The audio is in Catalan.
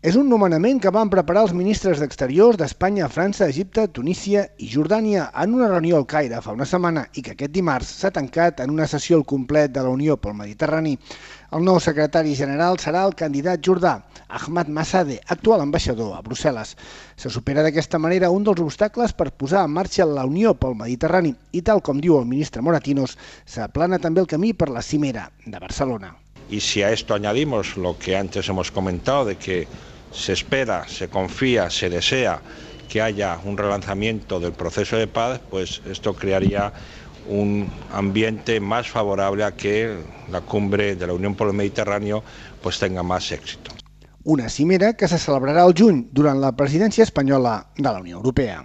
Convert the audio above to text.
És un nomenament que van preparar els ministres d'Exteriors d'Espanya, França, Egipte, Tunísia i Jordània en una reunió al Caire fa una setmana i que aquest dimarts s'ha tancat en una sessió al complet de la Unió pel Mediterrani. El nou secretari general serà el candidat jordà, Ahmad Massadeh, actual ambaixador a Brussel·les. Se supera d'aquesta manera un dels obstacles per posar en marxa la Unió pel Mediterrani i, tal com diu el ministre Moratinos, s'aplana també el camí per la cimera de Barcelona. Y si a esto añadimos lo que antes hemos comentado de que se espera, se confía, se desea que haya un relanzamiento del proceso de paz, pues esto crearía un ambiente más favorable a que la cumbre de la Unión por el Mediterráneo pues tenga más éxito. Una cimera que se celebrarà al juny durant la presidència espanyola de la Unió Europea.